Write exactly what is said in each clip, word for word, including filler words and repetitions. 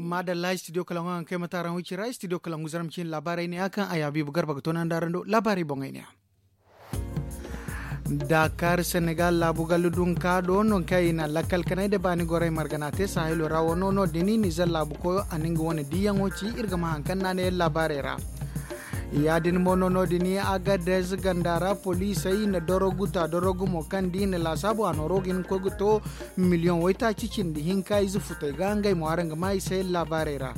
Maadalla studio kalaŋo haŋ kaŋ ay ma taaraŋ wicira studio kalaŋo zarma cine laabaarey ne ya kaŋ a yaabiibu garba ga toonandi araŋ do laabaarey boŋey ne ya. Daakaar senegal laabu gallu dunka do no kaŋ i na lakkal kanay nda baani gorey margana te sahilo ra wano no- din nizer laabu koyo a na nga wane diiyaŋo ci iri ga ma haŋ kaŋ naana yaŋ laabaarey ra. Ya- din mo no no- din agadez ganda ra poliisey na dorogu ta dorogu mo kaŋ da i na laasaabu a nooro ga hin ga koy ga to miliyoŋ waytaaci cindi hinka ize futey ga ngey mo araŋ ga ma i se yaŋ laabaarey ra.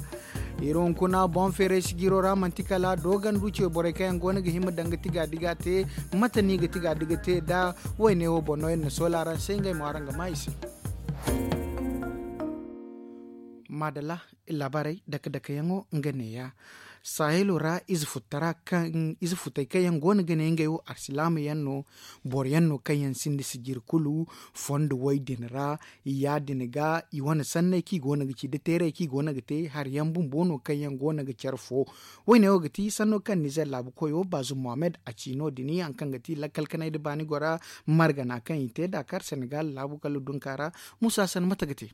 Iri hunkuna boŋ feeray sijiro ra manti kala doogandu ce borey kaŋ yaŋ go no ga hima daŋ ga tiga diga te. Mate no i ga tiga diga te nda wayne wo boŋ no iri na soola araŋ se ngey mo araŋ ga ma i se. Maadalla. Laabaarey dake dake yaŋo nga neeya. Sahilo ra ize futtara kaŋ ize futey kaŋ yaŋ go no ga ne ngey wo alsilaama yaŋ no. Boro yaŋ no kaŋ yaŋ sinda sijiri kulu fondo way din ra. Ya- din ga i wane sanney kaŋ i go no ga ci nda teerey kaŋ i go no ga te hari yaŋ bumbo no kaŋ yaŋ go no ga care fo. Wayne wo ga ti sanno kaŋ nizer laabu koyo baazum mohammed a ci no- din haŋ kaŋ ga ti lakkal kanay nda baani gora margana kaŋ i te daakaar senegal laabu kala dunka ra. Musa san mate ga te.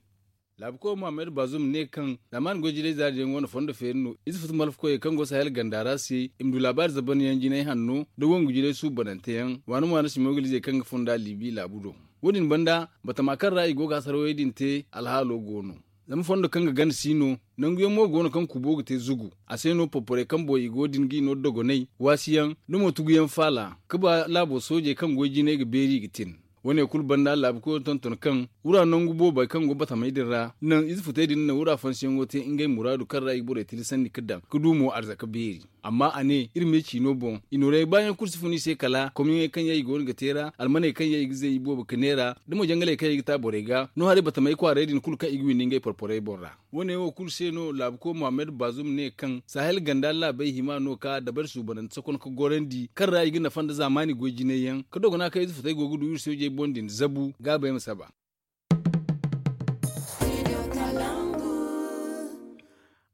Laabu koyo mohammed baazum ne kaŋ zaamaani goy jinay zaari yaŋ wane fondo feeri no ize futu malfa koyey kaŋ go sahel ganda ra se i ma du laabaari zaban yaŋ jinay hanno nda wangu jinay suubanante yaŋ waani waani simogalizey kaŋ ga funda libi laabu do. Wo- din banda batama kaŋ ra i go ga hasarawey din te alhaalo go no. Zama fondo kaŋ ga gana si no. Nangu yaŋ mo go no kaŋ kubo ga te zugu a se no porporey kaŋ boŋ i go din ga i no dogonay waasi yaŋ nda mo tugu yaŋ faala ga ba laabo soojey kaŋ goy jinay ga beeri i ga tin. Wo- ne kulu banda laabu koyo tonton kaŋ wura nangu boobey kaŋ go batamey din ra naŋ ize futey din na wura fansiyaŋo te ngey muraadu kaŋ ra i ga borey tilasandi ga daŋ ga du mo arzaka beeri. Amma a ne iri me ciino boŋ i nooray baayaŋ kulu si fun i se kala komyaŋey kaŋ yaŋ i go no ga te ra almaney kaŋ yaŋ i ga zay i boobo ga neera da mo jangaley kaŋ yaŋ i ga ta borey ga no haray batamey kwaarey din kulu kaŋ i ga windi ngey porporey boŋ ra. Wo- ne wo kulu se no laabu koyo mohammed baazum ne kaŋ sahel ganda laabey hima no ka dabari suubanante sokon ga gorandi kaŋ ra i ga nafa nda zaamaani goy jinay yaŋ ga dogona kaŋ ize futey go ga du iri soojey boŋ din zabu gaabey ma saba.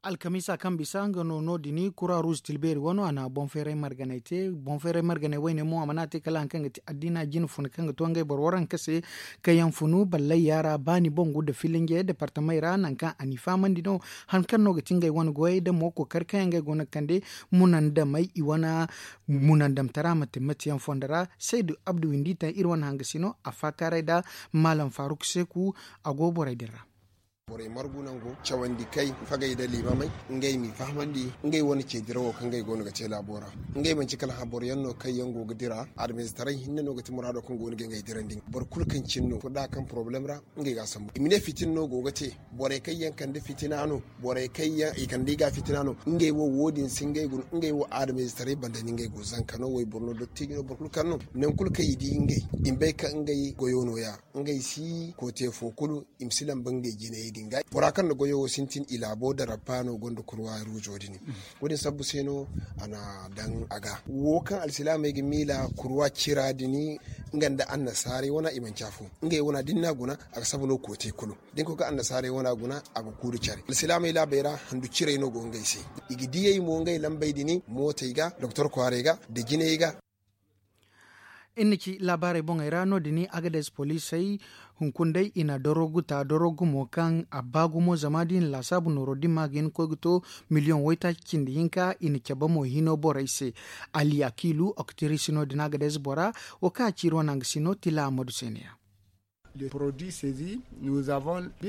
Alkamiisa kaŋ bisa nga no no- din kura ruuz tilbeeri wano a na boŋ feeray marganey te boŋ feeray marganey wayne mo a mana te kala hari kaŋ ga ti addiina jine funa kaŋ ga to ngey boro waranka se kaŋ yaŋ funu ballay yaara baani boŋ gu nda filinje departamey ra nangu kaŋ a n'i fahamandi no. Hari kaŋ no ga ti ngey wane goyey nda mo kookari kaŋ yaŋ ngey go no ga kande munandamey i wane munandamtara ma te mate yaŋ fondo ra. Saydu abdu windi taŋ iri wane hangasi no a faakaaray nda maalam faaruk seeku a go borey din ra. Borey margu nango cawandi kay fagey nda liimamey ngey m'i fahamandi ngey wane ce dirawo kaŋ ngey go no ga te laabo ra. Ngey manci kala hã boro yaŋ no kaŋ yaŋ go ga dira adamistaray hinne no ga ti muraado kaŋ go no ga ngey dirandi boro kulu kaŋ cin no furda kaŋ porobalem ra. Ngey ga a sambu i ma ne fitina no go ga te borey kaŋ yaŋ kande fitina no borey kaŋ yaŋ i kande i ga fitina no. Ngey wo wo- din si ngey guna ngey wo adamistaray banda ni ngey go zanka no wayboro no dottijo no boro kulu kaŋ no nangu kulu kaŋ i di ngey i ma bay kaŋ ngey goyo nooya. Ngey si koote fo kulu i ma si lamba ngey jinayey din ga bora kaŋ na goyo wo sintin i laabo da rabba no gonda kurwa ruuzo din. Wo- din sabbu se no a na daŋ a ga wo kaŋ alsilaamey ga miila kurwa cira din nga nda annasaarey wana i manci afo. Ngey wana da ni n'a guna a ga saba no koote kulu da ni koy ga annasaarey wana guna a ga kuuru care alsilaamey laabey ra handu cirey no go ngey se. I ga diyey mo ngey lambey din mootey ga doktor kwaarey ga nda jinayey ga. Iri na ci laabaarey boŋey ra no- din agades poliisey hunkuna day i na dorogu ta dorogu mo kaŋ a ba gumo zama da i na laasaabu nooro dimma ga hin ga koy ga to miliyoŋ waytaaci cindi hinka i na cabe mo hino borey se. Ali akiilu oktiris no- din agades bora wo kaŋ a ci iri wane hangasi no tila ammadu se ne ya.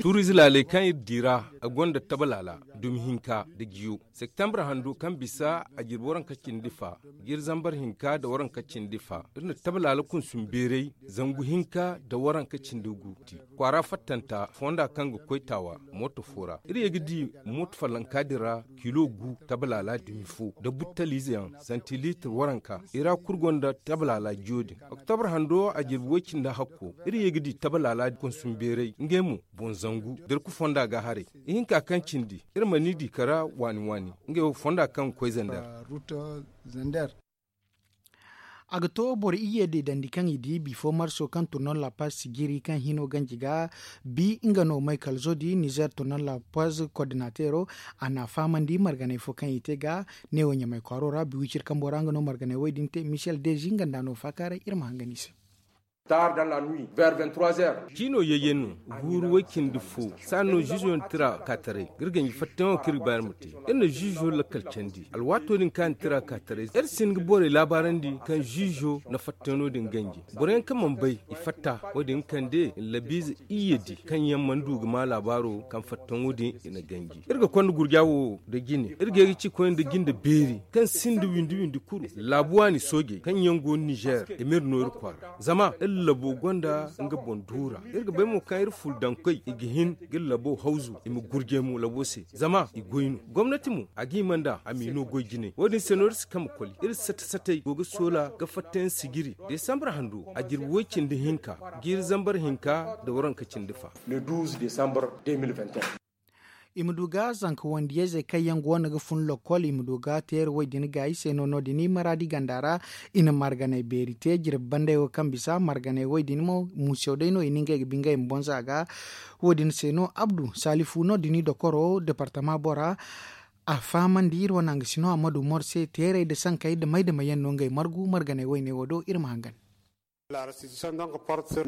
Tuuriize laaley kaŋ iri di ra a gonda tabalaala dumi hinka nda jiyo septembre hando kaŋ bisa a jirbi waranka cindi fa jiiri zambar hinka nda waranka cindi fa iri na tabalaala kunsum beeray zangu hinka nda waranka cindi gu ti kwaara fattanta fonda kaŋ ga koy taawa mooto fo ra iri ye ga di mooto fallanka din ra kilo gu tabalaala dumi fo nda buttaliize yaŋ santiliitir waranka i ra kulu gonda tabalaala jiyo din. Oktobre hando a jirbi way-cindi hakko iri ye ga di tabalaala kunsum beeray ngey mo boŋ zangu darku fonda ga haray. Ihinka kaŋ cindi iri mana i di kara waani waani ngey wo fonda kaŋ ga koy zander. A ga to boro iyye deedandi kaŋ i di bifo marso kaŋ turnal la paz sijiri kaŋ hino ganji ga bi nga no michael zodi nizer turnal la paz koordinatero. A na fahamandi marganey fo kaŋ i te ga neewo ɲamay kwaaro ra biwicir kambo ra nga no marganey way din te michel dezi nga nda no faakaaray iri ma hangan i se. Ciino yayyaŋ no, guuru way-cindi fo. Saano ziizo na tira ka taray ga iri ganji fattayaŋo kaŋ iri ga ba iri ma te. Iri na ziizo lakkal candi alwaato din kaŋ a na tira ka taray, iri si hin ga borey laabaarandi kaŋ ziizo na fattayaŋo din ganji. Boro yaŋ kaŋ mana bay i fatta, wo- din ga kande labiize iyye di kaŋ yaŋ mana du ga maa laabaaro kaŋ fattayaŋo din i na ganji. Iri ga konda gurja wo da jine, iri ga ye ga ci koyne da jinde beeri kaŋ sinda windi windi kulu. Laabu waani soojey kaŋ yaŋ go nizeer i ma iri no iri kwaara, zama iri labo gonda nga boŋ duura. Iri ga bay mo kaŋ iri furdankey i ga hin ga iri labo hawzu, i ma gurjay mo labo se, zama i goy no. Gomnati mo, a ga hima nd'a a m'i no goy jinay. Wo- din se no iri si kamba koli, iri sate-satey go ga soola ga fattayaŋ sijiri. Desambar hando, a jirbi way-cindi hinka, jiiri zambar hinka nda waranka cindi fa. I ma du ga zanka wandiyayzey kaŋ yaŋ go no ga fun lokkol, i ma du ga teera way din gaayi se no no- din maraadi ganda ra. I na marganay beeri te jirbi bandey wo kaŋ bisa marganay way din mo, muusew day no i na ngey ga bingay ma bonza ga. Wo- din se no abdu salifu no- din dokoro departama bora. A fahamandi iri wane hanga sino ammadu mor se teerey nda sankey nda may nda may yaŋ no ngey margu marganay wayne wo do iri ma hangan.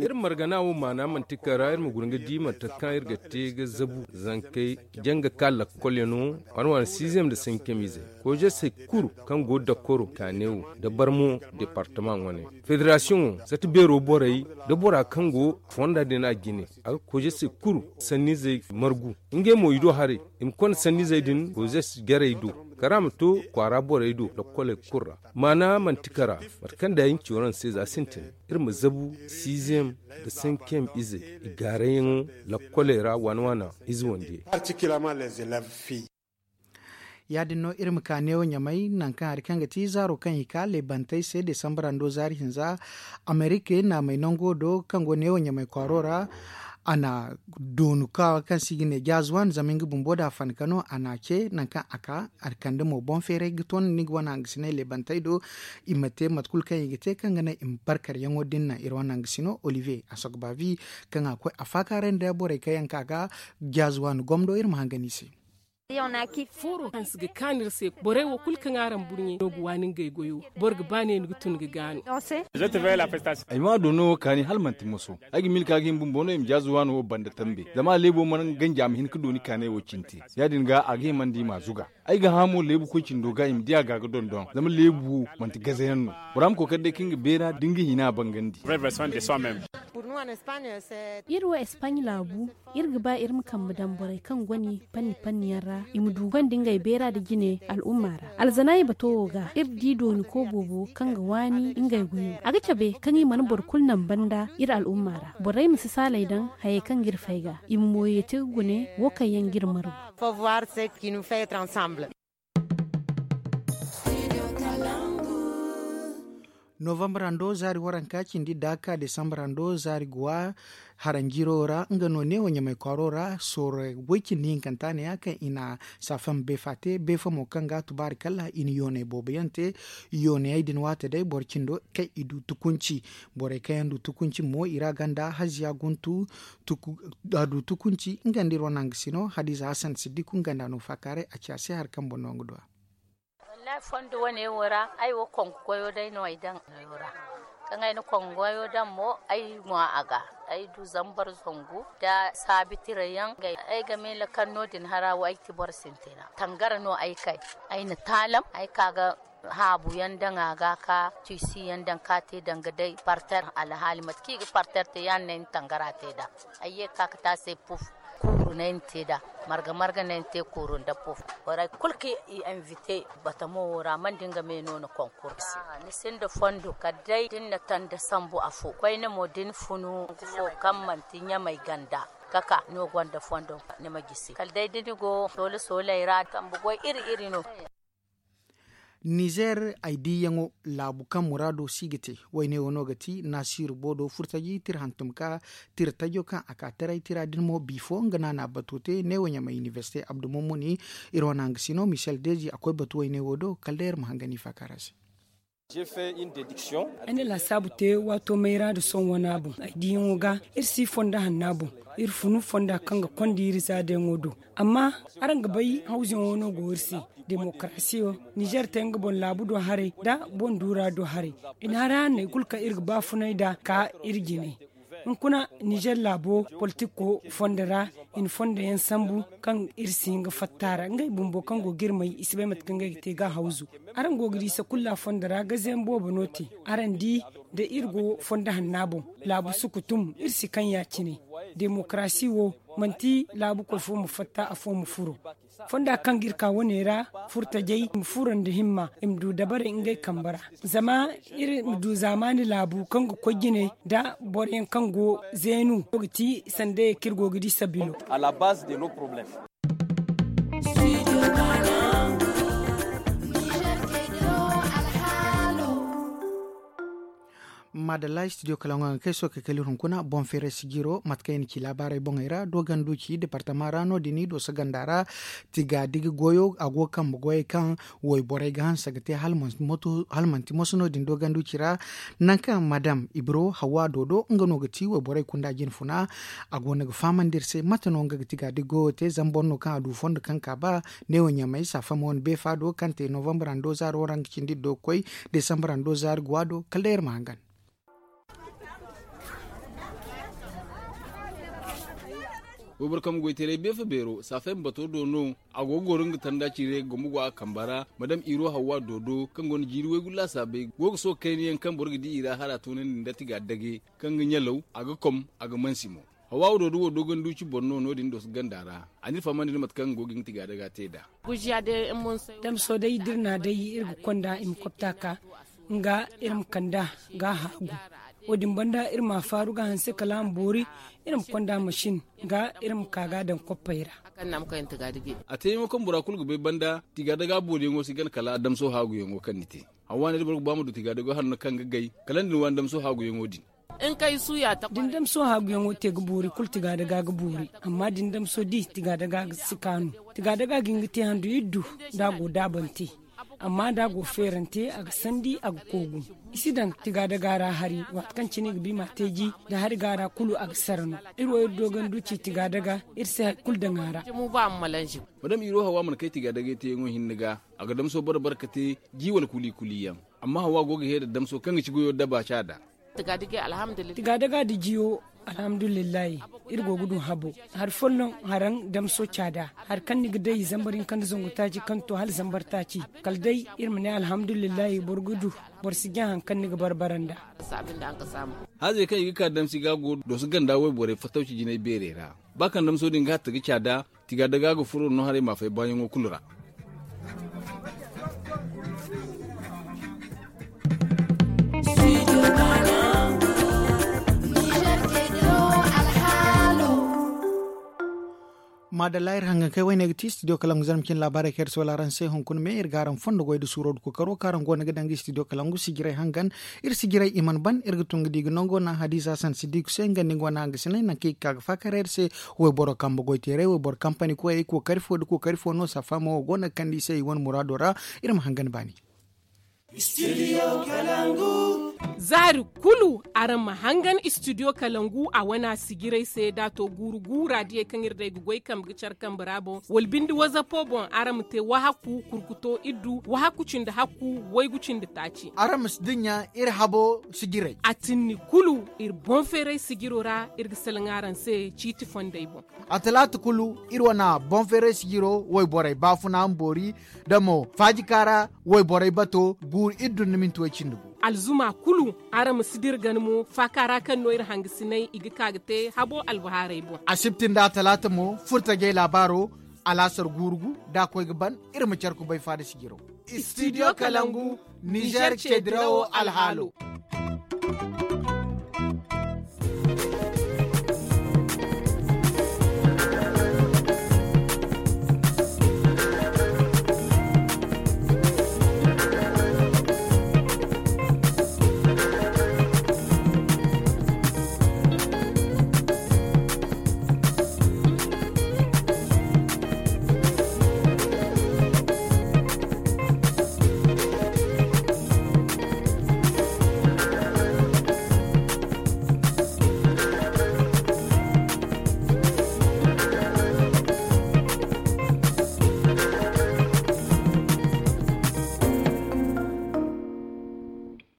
Iri margana wo maana manti kara iri ma guna ga di mate kaŋ iri ga te ga zabu zankey janga ka lakkolyaŋo, wane wane siizem nda sankemizey, koyzasey kulu kaŋ go dakkoro kaane wo nda barmo departama wane, federasiyoŋo sata beero borey nda bora kaŋ go fonda din a jine, a ga koyzasey kulu sanniizey margu. Ngey mo i do haray i ma konda sanniizey din koyzas jarey do, kala a ma to kwaara borey do lakkoley kulu ra. Maana manti kara mate kaŋ da ay na ci waraŋ se za sintin, iri ma zabu siizem nda sankiyem ize i gaarayyaŋo lakkoley ra waana waana ize wandiyey. Ya- din no iri ma ka neewo ɲamay nangu kaŋ hari kaŋ ga ti zaaro kaŋ i ka leebantey se desambarando zaari hinza. Amerika naamey nango do kaŋ go neewo ɲamay kwaaro ra. A na doonu ka kaŋ se i ga ne jaazuwan zama nga bumbo da a fana ka no a na a ce nangu kaŋ a ka a kande mo boŋ feeray ga ton ni ga wane hangasinay leebantey do. I ma te mate kulu kaŋ i ga te kaŋ ga naŋ i ma barkaryaŋo din naŋ iri wane hangasino olivier a sogbavi kaŋ a koy a faakaaray nda borey kaŋ yaŋ ka ga jaazuwan gomdo iri ma hangan i se. Fooro hanse ga kaanu iri se borey wo kulu kaŋ araŋ burɲey no ga waani ngey goyo. Boro ga ba ne ni ga tun ga gaanu. Ay ma do no wo kaani hala manti moso. Ay ga milka ga hin bumbo no i ma jaazu waano wo banda tambe zama a leebo mana ganji a ma hin ga dooni kaanay wo cinte. Ya- din ga a ga himandi i ma a zuga. Ay ga hã mo leebu koy cindo ga i ma di a ga ga dondon zama leebu wo manti gazayaŋ no. Bora ma kookari day kaŋ ga beera da nga hina a bangandi. Iri wo espagne laabu. Iri ga ba iri ma kambe daŋ borey kaŋ gone panni panni yaŋ ra i ma du gonda ngey beera nda jine al'umma ra alzanaayi bato wo ga iri di dooni ko boobo kaŋ ga waani ngey goyo a ga cabe kaŋ i mana boro kulu naŋ banda iri al'umma ra borey ma si saaley daŋ hayey kaŋ ga iri fay ga i ma mooyey te ga gune wo kaŋ yaŋ ga iri margu. Novambarando zaari waranka cindi daaka desambarando zaari guwa haranjiro ra nga no neewo ɲamay kwaaro ra sooro way cindi hinkanta ne ya kaŋ i na safam beefa te beefa mo kaŋ ga tubaari kala i na yoonay boobo yaŋ te. Yoonayey din waate day boro cindo kaŋ i du tukunci borey kaŋ yaŋ du tukunci mo i ra ganda haziya guntu. A du tukunci nga nda iri wane hangasino hadiza hasan siddiku nga nda no faakaaray a ci a se hari kaŋ boŋ no nga du a. Wallahi fondo wane wo ra ay wo kongo goyo day no ay daŋ. Kaŋ ay na kongo goyo daŋ mo ay ŋwa a ga ay du zambar zangu nda saabi tira yaŋ. Ay ga miila kaŋ no- din hara wo ay ti boro sintina tangara no ay kay. Ay na taalam ay ka ga haabu yaŋ daŋ a ga ka tiisi yaŋ daŋ ka te danga day parter alhaali mate kaŋ i ga parter te ya- din no ay na tangara te nd'a. Ay ye ga ka ga te a se puf kuuru no ay na te nd'a. Marga marga no ay na te kuuru nda puf. Borey kulu kaŋ i invite batamo wo ra mana da nga me no ni konkur. Ni sinda fondo kala day da ni na tanda sambu afo koyne mo da ni funu nangu fo kaŋ manti ɲamay ganda, kaka no gonda fondo ni ma gisi kala day da ni go soola sooley ra kambe goy iri iri no. Nizer ay diiyaŋo laabu kaŋ muraado si ga te wayne wo no ga ti naasiiru boodo furtaji tira hantum ka tira tajo kaŋ a ka taray tira din mo bifo nga no a na a bato te neewo ɲamay inibersite abdu mummuni. Iri wane hangasino michel deji a koy batu wayne wo do kala day iri ma hangan i faakaara se. Ay na laasaabu te waato mayra nda sohõ wana boŋ ay diyaŋo ga. Iri si fonda hanna boŋ. Iri funu fonda kaŋ ga konda iri zaadayaŋo do. Amma araŋ ga bay hawzuyaŋo no go iri se. Demokarasiyo, nizer te nga boŋ laabu do haray nda boŋ duura do haray. I na hari hanney kulu kaŋ iri ga baafunay nd'a ka iri jine. Hunkuna nizer laabo politiko fondo ra, i na fondo yaŋ sambu kaŋ iri si hin ga fatta a ra ngey bumbo kaŋ go ga iri may i si bay mate kaŋ ngey ga te ga hawzu. Araŋ go ga di sakulla fondo ra gazayaŋ boobo no te. Araŋ di, da iri go fondo hanna boŋ, laabu sukutum iri si kaŋ ya- cine. Demokarasi wo, manti laabukoy fo ma fatta afo ma furo. Fonda kaŋ ga iri ka wane ra, furtajey i ma furo nda himma, i ma du dabarey ngey kambe ra. Zama iri ma du zaamaani laabu kaŋ ga koy jine nda boroyaŋ kaŋ go zeenu go ga ti sandayey kaŋ iri go ga di sabilo. Maadalla studio kalaŋo yaŋ kaŋ ay sookay kala iri hunkuna boŋ feeray sijiro mate kaŋ i na ci laabaarey boŋey ra dooganduci departama ra no- din i dooso ganda ra. Tigaadigi goyo a go ga kambe goyey kaŋ wayborey ga hanse ga te hala manti moso no- din dooganduci ra. Nangu kaŋ madam ibro hawa doodo nga no ga ti wayborey kunda jinfuna. A go no ga fahamandi iri se mate no nga ga tigaadigi goyo te zama boro no kaŋ a du fondo kaŋ ka ba neewo ɲamay saafama wane beefa do kaŋ te novambar hando zaaro ra nga cindi iddo ga koy desambar hando zaari guwa do kala day iri ma hangan. Wayboro kambe goyteeray beefa beero saafay ma bato do no. A go ga goro nga tanda ciiray ga gombo go a kambe ra madam iro hawwa doodo kaŋ gonda jiiri waygu laasaabey go ga sohõ kayna yaŋ kaŋ boro ga di i ra hala a toonandi nda tigaadage kaŋ ga ɲalaw a ga kom a ga mansi mo. Hawa wo doodo wo dooganduci boro no no- din dooso ganda ra. A n'iri fahamandi nda mate kaŋ go ga nga tigaadaga te nd'a. Damso day da iri na day iri ga konda i ma kopta ka nga iri ma kanda ga haagu. Wo- din banda iri ma a faaru ga hanse kala a ma boori. Iri ma konda masin ga iri ma ka ga a daŋ koppey ra. A teeyaŋo kaŋ bora kulu ga bay banda tigaadaga booriyaŋo si gana kala damso haaguyaŋo kaŋ ni te. Hawa ne da boro ga ba ma du tigaadago hanno kaŋ ga gay kala ni din waani damso haaguyaŋo din. Da ni damso haaguyaŋo te ga boori kulu tigaadaga ga boori. Amma da ni damso di tigaadaga si kaanu. Tigaadaga ga hin ga te handu iddu da a go daabante. Amma da a go feerante a ga sandi a ga koogu. I si daŋ tigaadaga ra hari waati kaŋ cine i ga bi ma a te ji. Da hari ga ra kulu a ga sara no. Iri wo iri doogandu ci tigaadaga iri si hari kulu daŋ a ra. Madam iro hawa mana kay tigaadagay teeyaŋo hinne ga. A ga damso bare bare ka te ji wala kuli kuli yaŋ. Amma hawa go ga heeda damso kaŋ ga ci goyo daba caada. Tigaadaga da jiyo alhamdulillahi. Iri go ga du habo hari folloŋ haraŋ damso caada. Hari kaŋ ni ga day zambar hinka nda zangu taaci kaŋ to hala zambar taaci. Kala day iri ma ne alhamdulillahi boro ga du. Boro si jaŋ hari kaŋ ni ga barbara nd'a. Haazey kaŋ i ga ka damsi ga go dooso ganda wayborey fattawci jinay beerey ra. Ba kaŋ damso din ga hatta ga caada. Tigaadaga ga furo no haray ma fay baayaŋo kulu ra. Maadalla iri hangan kay wayne ga ti studio kalangu zarma cine laabaarey kaŋ iri si wala araŋ se hunkuna me iri ga araŋ fondo goy nda suuro nda kookaro kaŋ araŋ go no ga daŋ ga studio kalangu sijirey hangan. Iri sijirey i mana ban iri ga tun ga di ga nango naŋ hadiza hasan siddiku se nga nda nga wane hangasiney nangu kaŋ i ga ka ga faakar iri se. Wayboro kambe goyteeray wayboro kampani koyey kookari fo nda kookari fo no safaama wo go no ga kande i se i wane muraado ra. Iri ma hangan baani. Zaari kulu araŋ ma hangan studio kalangu a wana sijiray se da a to guuru guura diyey kaŋ iri day ga goy kambe ga care kambe ra boŋ wala binde wazapo boŋ araŋ ma te wahakku kurkuto iddu wahakku cindi hakku waygu cindi taaci. Araŋ ma si dinya iri habo sijiray. A tinni kulu iri boŋ feeray sijiro ra iri ga salaŋ araŋ se ciiti fondey boŋ. A talaata kulu iri wana boŋ feeray sijiro wayborey baafuna ma boori da mo faajika ra wayborey bato guuru iri dun ni minti way cindi gu. Alzuma kulu araŋ ma si dira gana mo faaka ra kaŋ no iri hangasinay i ga ka ga te habo albahaarey boŋ. Asibti nda talaata mo furtajey laabaaro alaasar guuru gu da a koy ga ban iri ma care kubay faada sijiro. Studio kalangu nizer ceedirawo alhaalo.